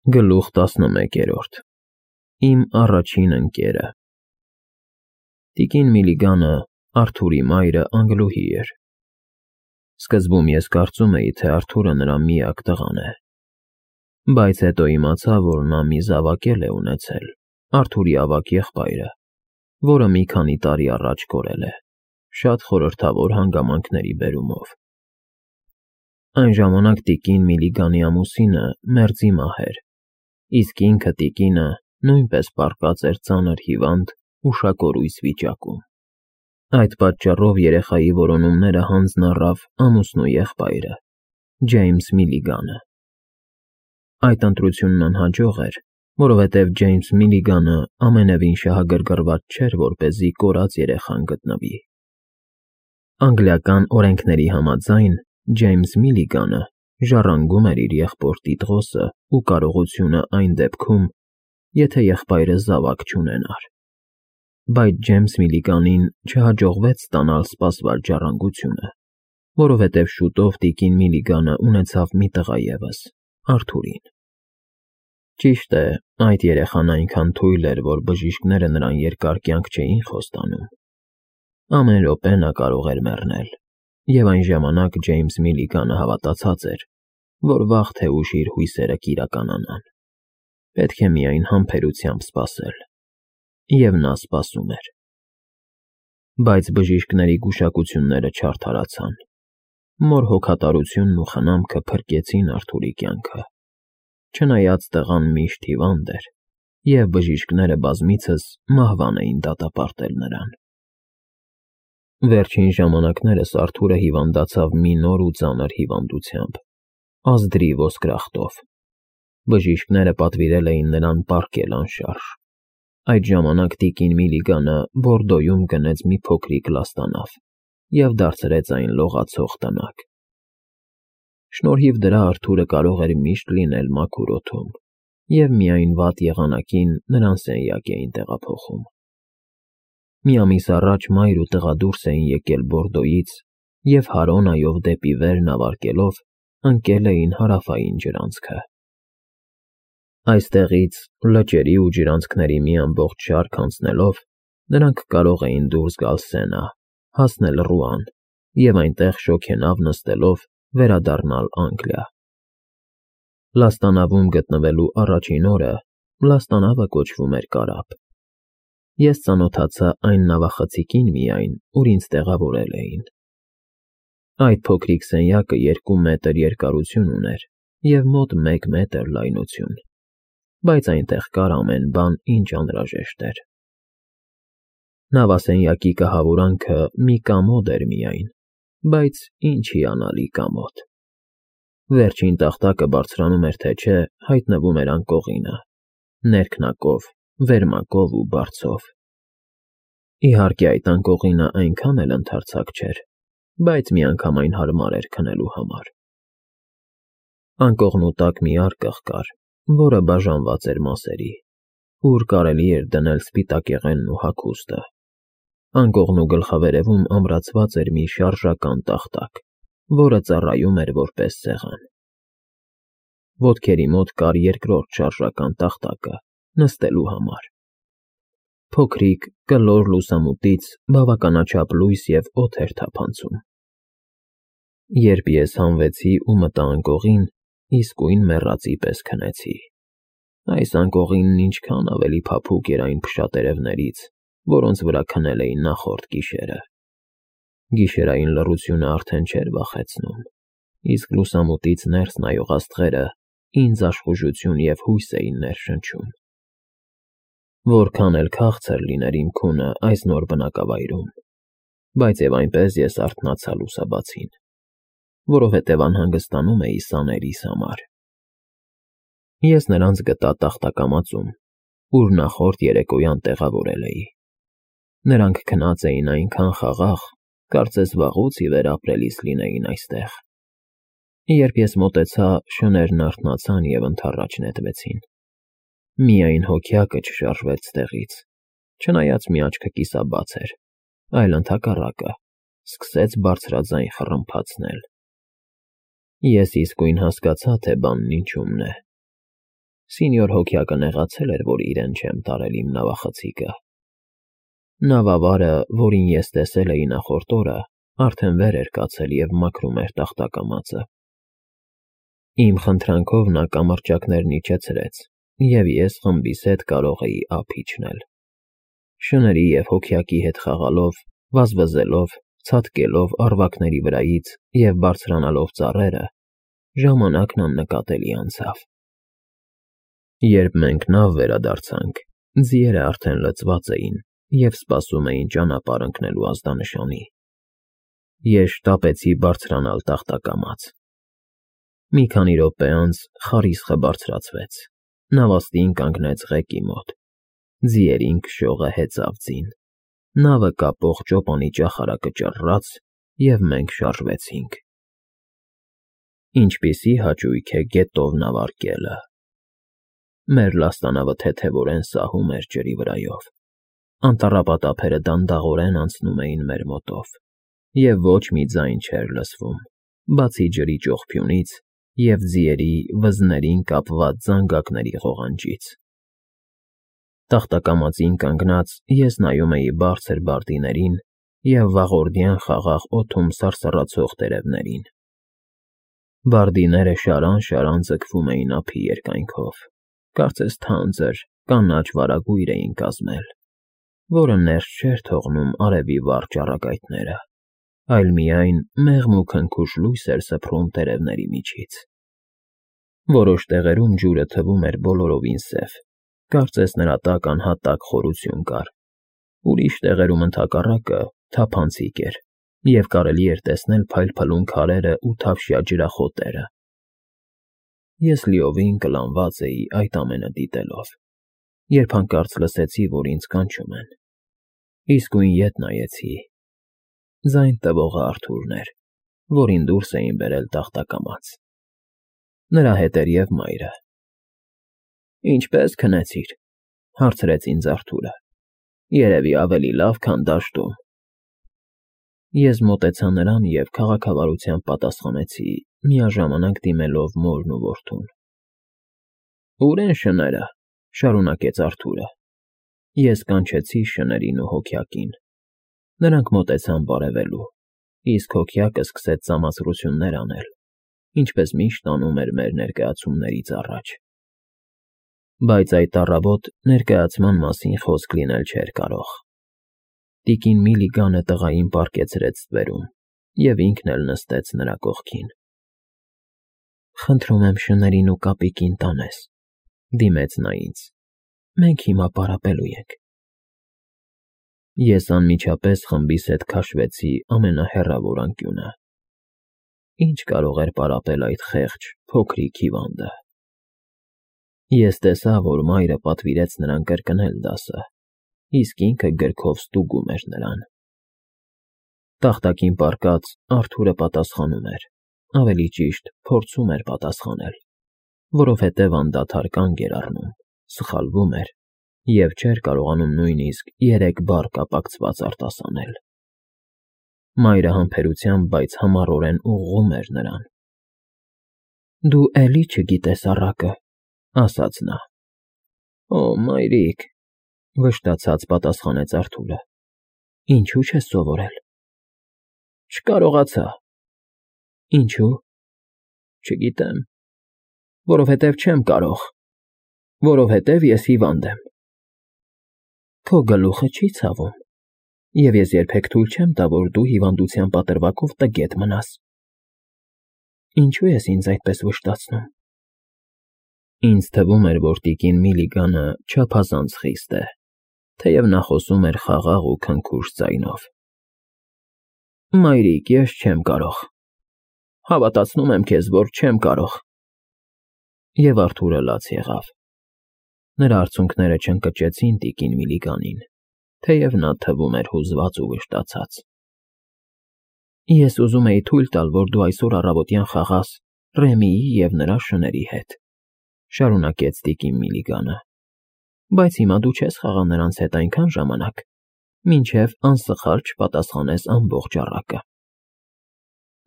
Գլուխ 11 Իմ առաջին ընկերը Տիկին Միլիգանը, Արթուրի մայրը, Անգլուհի էր։ Սկզբում ես կարծում էի, թե Արթուրը նրա միակ տղան է, բայց հետո իմացա, որ նա մի զավակ էլ է ունեցել, Արթուրի ավագ եղբայրը, որը մի քանի տարի առաջ կորել է, շատ խորհրդավոր հանգամանքների բերումով։ Այն ժամանակ տիկին Միլիգանի ամուսինը մերձի մահ էր, իսկ ինքը տիկինը նույնպես պառկած էր ծանր հիվանդ, ուշակորույս վիճակում։ Այդ պատճառով երեխայի որոնումները հանձն առավ ամուսնու եղբայրը, Ջեյմս Միլիգանը։ Այդ ընտրությունն անհաջող էր, որովհետև Ջեյմս Միլիգանը ամենևին շահագրգռված չէր, որպեսզի կորած երեխան գտնվի։ Անգլիական օրենքների համաձայն Ջեյմս Միլիգանը ժառանգում էր իր եղբոր տիտղոսը ու կարողությունը այն դեպքում, եթե եղբայրը զավակ չունենար։ Բայց Ջեյմս Միլիգանին չհաջողվեց ստանալ սպասված ժառանգությունը, որովհետև շուտով տիկին Միլիգանը ունեցավ մի տղա ևս, Արթուրին։ Ճիշտ է, այդ երեխան այնքան թույլ էր, որ բժիշկները նրան երկար կյանք չէին խոստանում։ Ամեն րոպե նա կարող էր մեռնել, և այն ժամանակ Ջեյմս Միլիգանը հավատացած էր, որ վաղ թե ուշ իր հույսերը կիրականանան։ Պետք է միայն համբերությամբ սպասել։ Եվ նա սպասում էր։ Բայց բժիշկների գուշակությունները չարդարացան։ Մոր հոգատարությունն ու խնամքը փրկեցին Արթուրի կյանքը, չնայած տղան միշտ հիվանդ էր, և բժիշկները բազմիցս մահվան էին դատապարտել նրան։ Վերջին ժամանակներս Արթուրը հիվանդացավ մի նոր ու ծանր հիվանդությամբ՝ ազդրի ոսկրախտով։ Բժիշկները պատվիրել էին նրան պառկել անշարժ։ Այդ ժամանակ տիկին Միլիգանը Բորդոյում գնեց մի փոքրիկ լաստանավ և դարձրեց այն լողացող տնակ։ Շնորհիվ դրա Արթուրը կարող էր միշտ լինել մաքուր օդում, և միայն վատ եղանակին նրան սենյակ էին տեղափոխում։ Մի ամիս առաջ մայր ու տղա դուրս էին եկել Բորդոյից և Հարոնայով դեպի վեր նավարկելով ընկել էին հարավային ջրանցքը։ Այստեղից, լճերի ու ջրանցքների մի ամբողջ շարք անցնելով, նրանք կարող էին դուրս գալ Սենա, հասնել Ռուան և այնտեղ շոգենավ նստելով վերադառնալ Անգլիա։ Լաստանավում գտնվելու առաջին օրը լաստանավը կոչվում էր Կարապ։ Ես ծանոթացա այն նավախցիկին միայն, ուր ինձ տեղավորել էին։ Այդ փոքրիկ սենյակը 2 մետր երկարություն ուներ և մոտ 1 մետր լայնություն, բայց այնտեղ կար ամեն բան, ինչ անհրաժեշտ էր։ Նավասենյակի կահավորանքը մի կամոդ էր միայն, բայց ինչ հիանալի կամոդ։ Վերջին տախտակը բարձրանում էր թե չէ, հայտնվում էր անկողինը, ներքնակով, վերմակով ու բարձով։ Իհարկե այդ անկողինը այնքան էլ ընդարձակ չէր, բայց միանգամայն հարմար էր քնելու համար։ Անկողնու տակ մի արկղ կար, որը բաժանված էր մասերի, ուր կարելի էր դնել սպիտակեղենն ու հագուստը։ Անկողնու գլխավերևում ամրացված էր մի շարժական տախտակ, որը ծառայում էր որպես սեղան։ Ոտքերի մոտ կար երկրորդ շարժական տախտակը նստելու համար։ Փոքրիկ, կլոր լուսամուտից բավականաչափ լույս և օդ էր թափանցում։ Երբ ես հանվեցի ու մտա անկողին, իսկույն մեռածի պես քնեցի։ Այս անկողինն ինչքան ավելի փափուկ էր այն փշատերևներից, որոնց վրա քնել էի նախորդ գիշերը։ Գիշերային լռությունը արդեն չէր վախեցնում, իսկ լուսամուտից ներս նայող աստղերը ինձ աշխուժություն և հույս էին ներշնչում։ Որքան էլ քաղցր լիներ իմ քունը այս նոր բնակավայրում, բայց և այնպես ես արթնացա լուսաբացին, որովհետև անհանգստանում էի սաներիս համար։ Ես նրանց գտա տախտակամածում, ուր նախորդ երեկոյան տեղավորել էի։ Նրանք քնած էին այնքան խաղաղ, կարծես վաղուց ի վեր ապրելիս լինեին այստեղ։ Երբ ես մոտեցա, շներն արթնացան և ընդառաջ նետվեցին։ Միայն հոգյակը չշարժվեց տեղից, չնայած մի աչքը կիսաբաց էր, այլ ընդհակառակը, սկսեց բարձրաձայն խռմփացնել։ Ես իսկույն հասկացա, թե բանն ինչումն է։ Սինյոր հոգյակը նեղացել էր, որ իրեն չեմ տարել իմ նավախցիկը։ Նավավարը, որին ես տեսել էի նախորդ օրը, արդեն վեր էր կացել և մաքրում էր տախտակամածը։ Իմ խնդրանքով նա կամրջակներն իջեցրեց, և ես խմբիս հետ կարող էի ափ իջնել։ Շների և հոգյակի հետ խաղալով, վազվզելով, ցատկելով առվակների վրայից և բարձրանալով ծառերը, ժամանակն աննկատելի անցավ։ Երբ մենք նավ վերադարձանք, ձիերը արդեն լցված էին և սպասում էին ճանապարհ ընկնելու ազդանշանի։ Ես շտապեցի բարձրանալ տախտակամաց։ Մի քանի րոպե անց խարիսխը բարձրացվեց, նավաստին կանգնեց ղեկի մոտ, ձիերին քշողը հեծավ ձին, նավը կապող ճոպանի ճախարակը ճռռաց, և մենք շարժվեցինք։ Ինչպիսի հաճույք է գետով նավարկելը։ Մեր լաստանավը թեթևորեն սահում էր ջրի վրայով, անտառապատափերը դանդաղորեն անցնում էին մեր մոտով, և ոչ մի ձայն չէր լսվում, բացի ջրի ճողփյունից և ձիերի վզներին կապված զանգակների ղողանջից։ Տախտակամածին կանգնած ես նայում էի բարձր բարտիներին և վաղորդյան խաղաղ օդում սարսռացող տերևներին։ Բարդիները շարան-շարան ձգվում էին ափի երկայնքով, կարծես թանձր, կանաչ վարագույր էին կազմել, որը ներս չէր թողնում արևի վառ ճառագայթները, այլ միայն մեղմ ու քնքուշ լույս էր սփռում տերևների միջից։ Որոշ տեղերում ջուրը թվում էր բոլորովին սև, կարծես նրա տակ անհատակ խորություն կար, ուրիշ տեղերում ընդհակառակը թափանցիկ էր, և կարելի էր տեսնել փայլփլուն քարերն ու թավշյա ջրախոտերը։ Ես լիովին կլանված էի այդ ամենը դիտելով, երբ հանկարծ լսեցի, որ ինձ կանչում են։ Իսկույն ետ նայեցի։ Ձայն տվողը Արթուրն էր, որին դուրս էին բերել տախտակամաց։ Նրա հետ էր և մայրը։ «Ինչպե՞ս քնեցիր,֊ հարցրեց ինձ Արթուրը։ Երևի ավելի լավ, քան դաշտում»։ Ես մոտեցա նրան և քաղաքավարությամբ պատասխանեցի, միաժամանակ դիմելով մորն ու որդուն։ «Ո՞ւր են շները,֊ շարունակեց Արթուրը։ Ես կանչեցի շներին ու հոգյակին։ Նրանք մոտեցան բարևելու, իսկ հոգյակը սկսեց ծամացրություններ անել, ինչպես միշտ անում էր մեր ներկայացումներից առաջ։ Բայց այդ առավոտ ներկայացման մասին խոսք լինել չէր կարող։ Տիկին Միլիգանը տղային պառկեցրեց ստվերում, և ինքն էլ նստեց նրա կողքին։ «Խնդրում եմ շներին ու կապիկին տանես,֊ դիմեց նա ինձ։ Մենք հիմա պարապելու ենք»։ Ես անմիջապես խմբիս հետ քաշվեցի ամենահեռավոր անկյունը։ Ինչ կարող էր պարապել այդ խեղճ, փոքրիկ հիվանդը։ Ես տեսա, որ մայրը պատվիրեց նրան կրկնել դասը, իսկ ինքը գրքով ստուգում էր նրան։ Տախտակին պառկած Արթուրը պատասխանում էր, ավելի ճիշտ, փորձում էր պատասխանել, որովհետև անդադար կանգ էր առնում, սխալվում էր և չէր կարողանում նույնիսկ 3 բառ կապակցված արտասանել։ Մայրը համբերությամբ, բայց համառորեն ուղղում էր նրան։ «Դու էլի չգիտես առակը,֊ ասաց նա։ Օ, մայրիկ,֊ վշտացած պատասխանեց Արթուրը։ Ինչու՞ չես սովորել։ Չկարողացա։ Ինչու՞։ Չգիտեմ։ Որովհետև չեմ կարող։ Որովհետև ես հիվանդ եմ։ Քո գլուխը չի ցավում, և ես երբեք թույլ չեմ տա, որ դու հիվանդության պատրվակով տգետ մնաս։ Ինչու ես ինձ այդպես վշտացնում։ Ինձ թվում էր, որ տիկին Միլիգանը չափազանց խիստ է, թեև նա խոսում էր խաղաղ ու քնքուշ ձայնով։ Մայրիկ, ես չեմ կարող։ Հավատացնում եմ քեզ, որ չեմ կարող։ Եվ Արթուրը լաց եղավ։ Նրա արցունքները չընկճեցին տիկին Միլիգանին, թեև նա թվում էր հուզված ու վշտացած։ Ես ուզում էի թույլ տալ, որ դու այսօր առավոտյան խաղաս Ռեմիի և նրա շների հետ,֊ շարունակեց տիկին Միլիգանը, բայց հիմա դու չես խաղա նրանց հետ այնքան ժամանակ, մինչև անսխալ չպատասխանես ամբողջ առակը։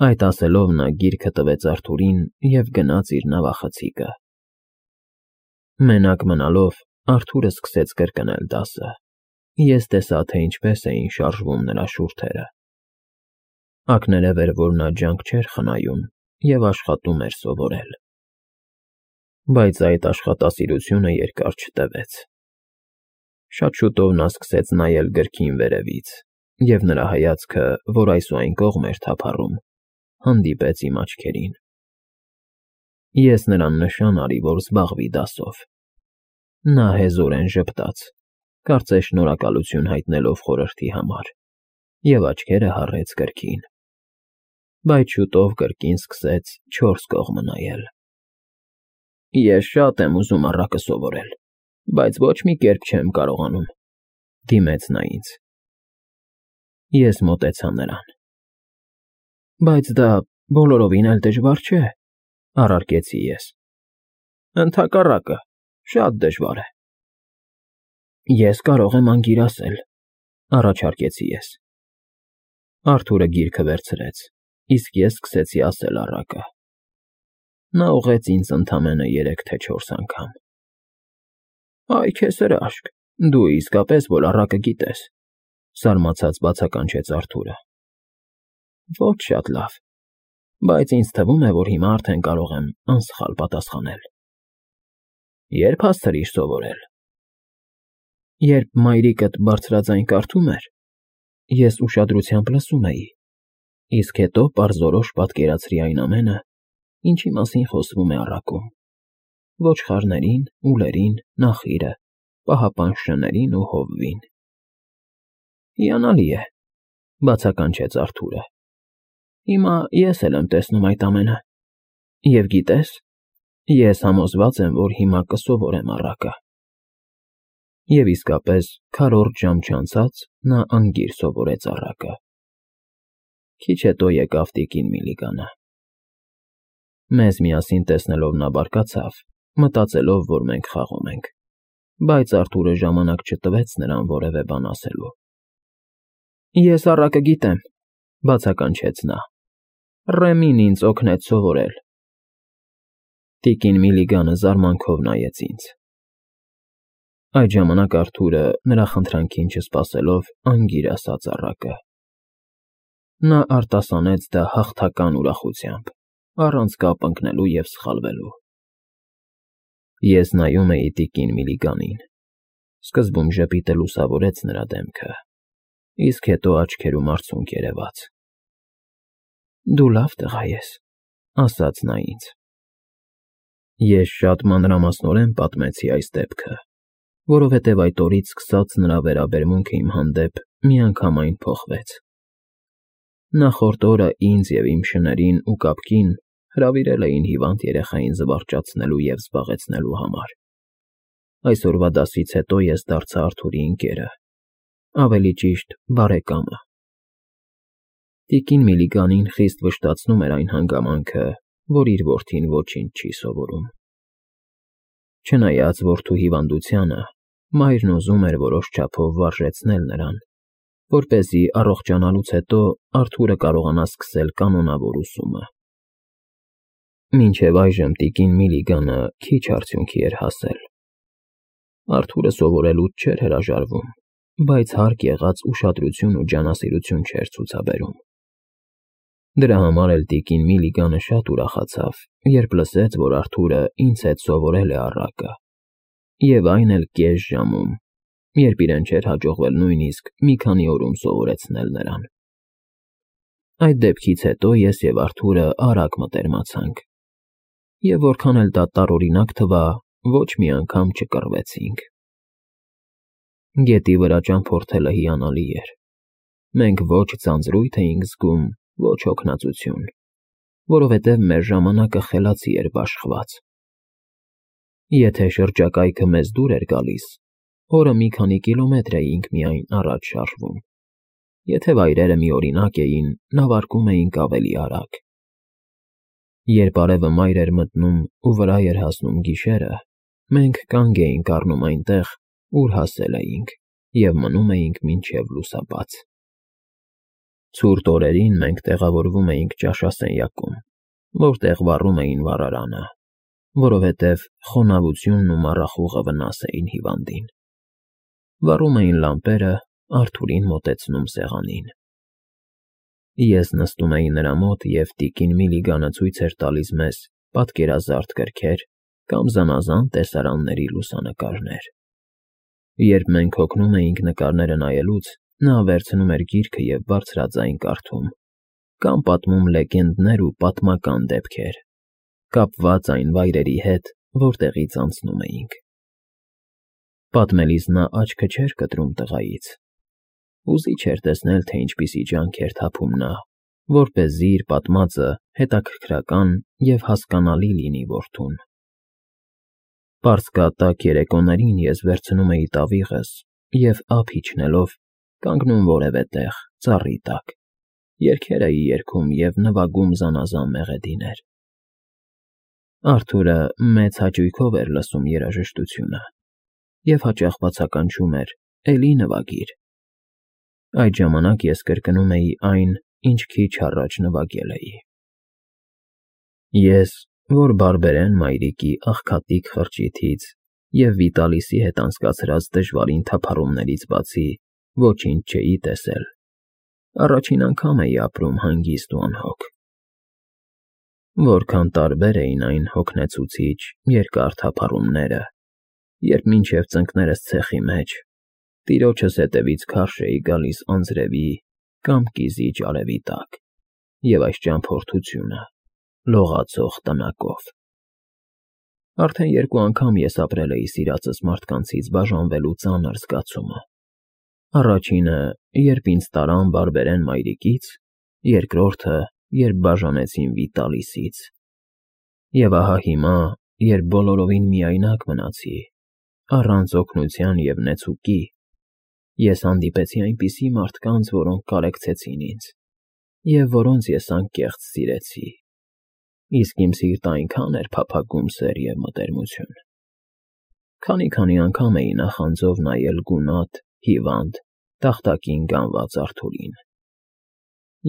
Այդ ասելով նա գիրքը տվեց Արթուրին և գնաց իր նավախցիկը։ Մենակ մնալով Արթուրը սկսեց կրկնել դասը։ Ես տեսա, թե ինչպես էին շարժվում նրա շուրթերը։ Ակներև էր, որ նա ջանք չէր խնայում և աշխատում էր սովորել։ Բայց այդ աշխատասիրությունը երկար չտևեց։ Շատ շուտով նա սկսեց նայել գրքին վերևից, և նրա հայացքը, որ այս ու այն կողմ էր թափառում, հանդիպեց իմ աչքերին։ Ես նրան նշան արի, որ զբաղվի դասով։ Նա հեզորեն ժպտաց, կարծես շնորհակալություն հայտնելով խորհրդի համար, և աչքերը հառեց գրքին։ Բայց շուտով կրկին սկսեց չորս կողմը նայել։ Ես շատ եմ ուզում առակը սովորել, բայց ոչ մի կերպ չեմ կարողանում, դիմեց նա ինձ։ Ես մոտեցա նրան։ Բայց դա բոլորովին էլ դժվար չէ, առարկեցի ես։ Ընդհակառակը, շատ դժվար է։ Ես կարող եմ անգիր ասել, առաջարկեցի ես։ Արթուրը գիրքը վերցրեց, իսկ ես սկսեցի ասել առակը։ Նա ուղղեց ինձ ընդամենը 3 թե 4 անգամ։ Այ քեզ հրաշք, դու իսկապես որ առակը գիտես, զարմացած բացականչեց Արթուրը։ Ոչ շատ լավ, բայց ինձ թվում է, որ հիմա արդեն կարող եմ անսխալ պատասխանել։ Երբ հասցրիր սովորել։ Երբ մայրիկդ բարձրաձայն կարդում էր, ես ուշադրությամբ լսում էի, իսկ հետո պարզորոշ պատկերացրի այն ամենը, ինչի մասին խոսվում է առակում. ոչխարներին, ուլերին, նախիրը, պահապան շներին ու հովվին։ Հիանալի է, բացականչեց Արթուրը։ Հիմա ես էլ եմ տեսնում այդ ամենը։ Եվ գիտես, ես համոզված եմ, որ հիմա կսովորեմ առակը։ Եվ իսկապես, քառորդ ժամ չանցած նա անգիր սովորեց առակը։ Քիչ հետո եկավ տիկին Միլիգանը։ Մեզ միասին տեսնելով նա բարկացավ, մտածելով, որ մենք խաղում ենք, բայց Արթուրը ժամանակ չտվեց նրան որևէ բան ասելու։ Ես առակը գիտեմ, բացականչեց նա։ Ռեմին ինձ օգնեց սովորել։ Տիկին Միլիգանը զարմանքով նայեց ինձ։ Այդ ժամանակ Արթուրը, նրա խնդրանքին չսպասելով, անգիր ասաց առակը։ Նա արտասանեց դա հաղթական ուրախությամբ, առանց կապ ընկնելու և սխալվելու։ Ես նայում էի տիկին Միլիգանին։ Սկզբում ժպիտը լուսավորեց նրա դեմքը, իսկ հետո աչքերում արցունք երևաց։ Դու լավ տղա ես, ասաց նա ինձ։ Ես շատ մանրամասնորեն պատմեցի այս դեպքը, որովհետև այդ օրից սկսած նրա վերաբերմունքը իմ հանդեպ միանգամայն փոխվեց։ Նախորդ օրը ինձ և իմ շներին ու կապկին հրավիրել էին հիվանդ երեխային զվարճացնելու և զբաղեցնելու համար։ Այսօրվա դասից հետո ես դարձա Արթուրի ընկերը, ավելի ճիշտ բարեկամը։ Տիկին Միլիգանին խիստ վշտացնում էր այն հանգամանքը, որ իր որդին ոչինչ չի սովորում։ Չնայած որդու հիվանդությանը, մայրն ուզում էր որոշ չափով վարժեցնել նրան, որպեսզի առողջանալուց հետո Արթուրը կարողանա սկսել կանոնավոր ուսումը։ Մինչև այժմ տիկին Միլիգանը քիչ արդյունքի էր հասել։ Արթուրը սովորելուց չէր հրաժարվում, բայց հարկ եղած ուշադրություն ու ջանասիրություն չէր ցուցաբերում։ Դրա համար էլ տիկին Միլիգանը շատ ուրախացավ, երբ լսեց, որ Արթուրը ինձ հետ սովորել է առակը, և այն էլ կես ժամում, երբ իրեն չէր հաջողվել նույնիսկ մի քանի օրում սովորեցնել նրան։ Այդ դեպքից հետո ես և Արթուրը արագ մտերմացանք, և որքան էլ դա տարօրինակ թվա, ոչ մի անգամ չկռվեցինք։ Գետի վրա ճամփորդելը հիանալի էր։ Մենք ոչ ձանձրույթ էինք զգում, ոչ հոգնածություն, որովհետև մեր ժամանակը խելացի էր բաշխված։ Եթե շրջակայքը մեզ դուր էր գալիս, օրը մի քանի կիլոմետր էինք միայն առաջ շարժվում։ Եթե վայրերը միօրինակ էին, նավարկում էինք ավելի արագ։ Երբ արևը մայր էր մտնում ու վրա էր հասնում գիշերը, մենք կանգ էինք առնում այնտեղ, ուր հասել էինք, և մնում էինք մինչև լուսաբաց։ Ցուրտ օրերին մենք տեղավորվում էինք ճաշասենյակում, որտեղ վառում էին վառարանը, որովհետև խոնավությունն ու մառախուղը վնաս էին հիվանդին։ Վառում էին լամպերը, Արթուրին մոտեցնում սեղանին։ Ես նստում էի նրա մոտ, և տիկին Միլիգանը ցույց էր տալիս մեզ պատկերազարդ գրքեր կամ զանազան տեսարանների լուսանկարներ։ Երբ մենք հոգնում էինք նկարները նայելուց, նա վերցնում էր գիրքը և բարձրաձայն կարդում, կամ պատմում լեգենդներ ու պատմական դեպքեր, կապված այն վայրերի հետ, որտեղից անցնում էինք։ Պատմելիս նա աչքը չէր կտրում տղայից։ Հուզիչ էր տեսնել, թե ինչպիսի ջանք էր թափում նա, որպեսզի իր պատմածը հետաքրքրական և հասկանալի լինի որդուն։ Պարսկատակ երեկոներին ես վերցնում էի տավիղս և, ափ իջնելով, կանգնում որևէ տեղ, ծառի տակ, երգեր էի երգում և նվագում զանազան մեղեդիներ։ Արթուրը մեծ հաճույքով էր լսում երաժշտությունը և հաճախ բացականչում էր. «Էլի նվագիր»։ Այդ ժամանակ ես կրկնում էի այն, ինչ քիչ առաջ նվագել էի։ Ես, որ բարբերեն մայրիկի աղքատիկ խրճիթից և Վիտալիսի հետ անցկացրած դժվարին թափառումներից բացի ոչինչ չէի տեսել, առաջին անգամ էի ապրում հանգիստ ու անհոգ։ Որքան տարբեր էին այն հոգնեցուցիչ երկար թափառումները, երբ մինչև ծնկներս ցեխի մեջ, տիրոջս հետևից քարշ էի գալիս անձրևի կամ կիզիչ արևի տակ, և այս ճամփորդությունը լողացող տնակով։ Արդեն երկու անգամ ես ապրել էի սիրածս մարդկանցից բաժանվելու ծանր զգացումը։ Առաջինը, երբ ինձ տարան բարբերեն մայրիկից, երկրորդը, երբ բաժանեցին Վիտալիսից։ Եվ ահա հիմա, երբ բոլորովին միայնակ մնացի, առանց օգնության և նեցուկի, ես հանդիպեցի այնպիսի մարդկանց, որոնք կարեկցեցին ինձ, և որոնց ես անկեղծ սիրեցի, իսկ իմ սիրտը այնքան էր փափագում սեր և մտերմություն։ Քանի անգամ էի նախանձով նայել գունատ, հիվանդ, տախտակին գանված Արթուրին։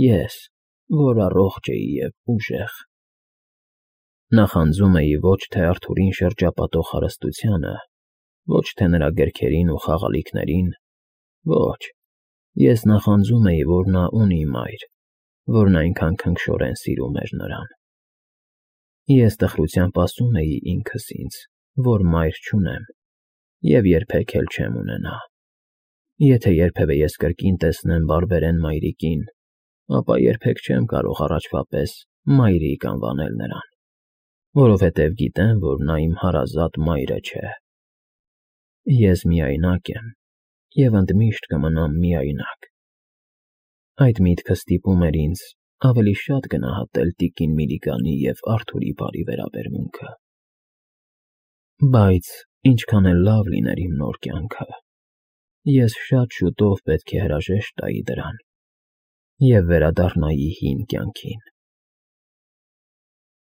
Ես, որ առողջ էի և ուժեղ։ Նախանձում էի ոչ թե Արթուրին շրջապատող հարստությանը, ոչ թե նրա գրքերին ու խաղալիքներին, ոչ, ես նախանձում էի, որ նա ունի մայր, որն այնքան քնքշորեն սիրում էր նրան։ Ես տխրությամբ ասում էի ինքս ինձ, որ մայր չունեմ և երբեք էլ չեմ ունենա։ Եթե երբևէ ես կրկին տեսնեմ բարբերեն մայրիկին, ապա երբեք չեմ կարող առաջվա պես մայրիկ անվանել նրան, որովհետև գիտեմ, որ նա իմ հարազատ մայրը չէ։ Ես միայնակ եմ և ընդմիշտ կմնամ միայնակ։ Այդ միտքը ստիպում էր ինձ ավելի շատ գնահատել տիկին Միլիգանի և Արթուրի բարի վերաբերմունքը։ Բայց ինչքան էլ լավ լիներ իմ նոր կյանքը, ես շատ շուտով պետք է հրաժեշտ տայի դրան և վերադառնայի հին կյանքին։